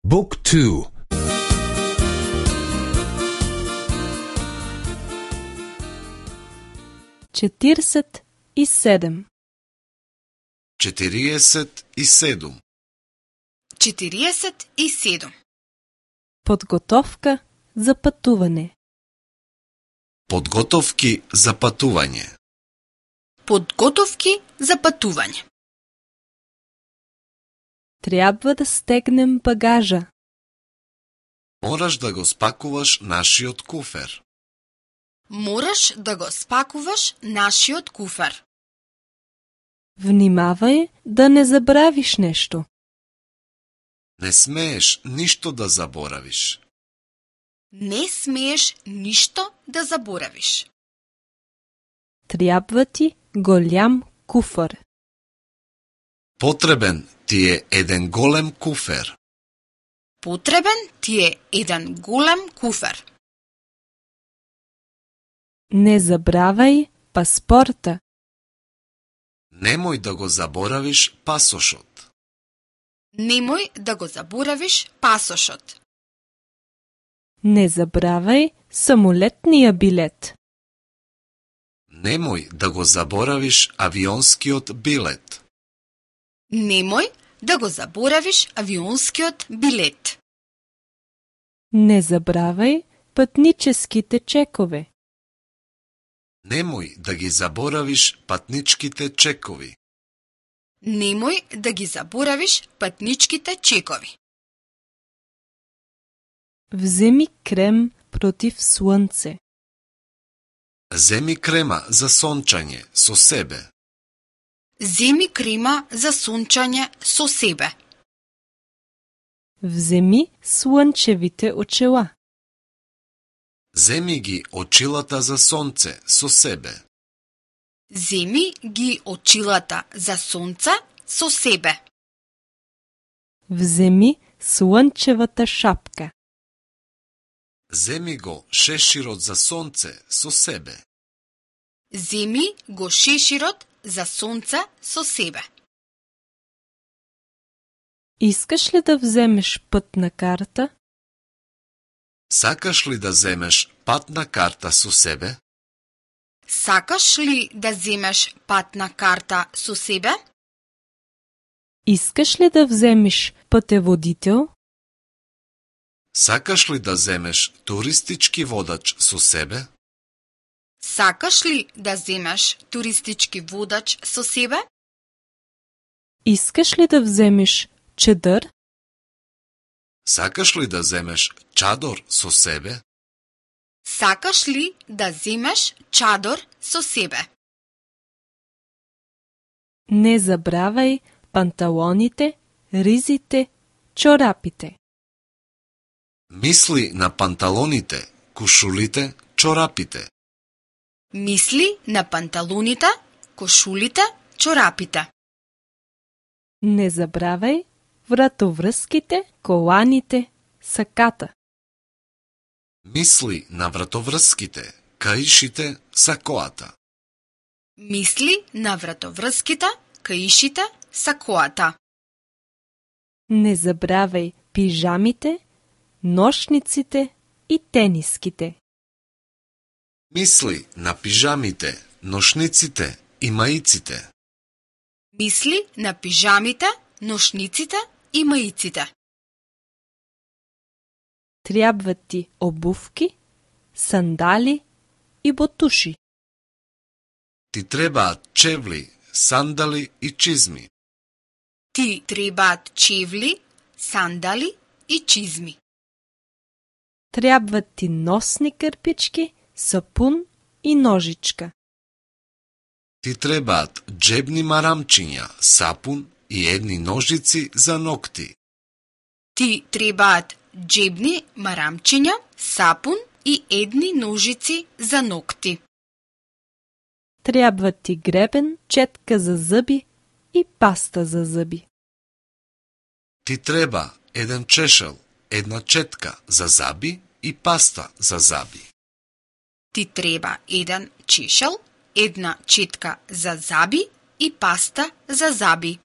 Book 2. 47. 47. 47. Подготовка за пътуване. Подготовки за патување. Подготовки за патување. Трябва да стегнем багажа. Мораш да го спакуваш нашиот куфер. Мораш да го спакуваш нашиот куфер. Внимавай да не забравиш нещо. Не смееш ништо да заборавиш. Не смееш ништо да заборавиш. Трябва ти голям куфар. Потребен ти е еден голем куфер. Потребен ти е еден голем куфер. Не забравяй паспорта. Немој да го заборавиш пасошот. Немој да го заборавиш пасошот. Не забравяй самолетния билет. Немој да го заборавиш авионскиот билет. Немој да го заборавиш авионскиот билет. Не забравяй пътническите чекове. Немој да ги заборавиш патничките чекови. Немој да ги заборавиш патничките чекови. Вземи крем против слънце. Земи крема за сончање со себе. Земи крема за сончање со себе. Вземи слънчевите очила. Земи ги очилата за сонце со себе. Земи ги очилата за сонце со себе. Вземи слънчевата шапка. Земи го шеширот за сонце со себе. Земи го шеширот за сонце со себе. Искаш ли да вземеш пътна карта? Сакаш ли да земеш патна карта со себе? Сакаш ли да земеш патна карта со себе? Искаш ли да вземеш пътеводител? Сакаш ли да земеш туристички водач со себе? Сакаш ли да земеш туристички водач со себе? Искаш ли да вземеш чадър? Сакаш ли да земеш чадор со себе? Сакаш ли да земеш чадор со себе? Не забравяй панталоните, ризите, чорапите. Мисли на панталоните, кушулите, чорапите. Мисли на панталоните, кошулите, чорапите. Не забравяй вратовръзките, коланите, саката. Мисли на вратоврските, каишите, сакоата. Мисли на вратовръзките, каишите, сакоата. Не забравяй пижамите, нощниците и тениските. Мисли на пижамите, ношниците и маиците. Мисли на пижамите, ношниците и маиците. Трябват ти обувки, сандали и ботуши. Ти требаат чевли, сандали и чизми. Ти требаат чевли, сандали и чизми. Трябват ти носни кърпички, сапун и ножичка. Ти требаат джебни марамчиња, сапун и едни ножици за ногти. Ти требаат джебни марамчиња, сапун и едни ножици за ногти. Трябват ти гребен, четка за зъби и паста за зъби. Ти треба еден чешел, една четка за заби и паста за заби. Ти треба еден чешел, една четка за заби и паста за заби.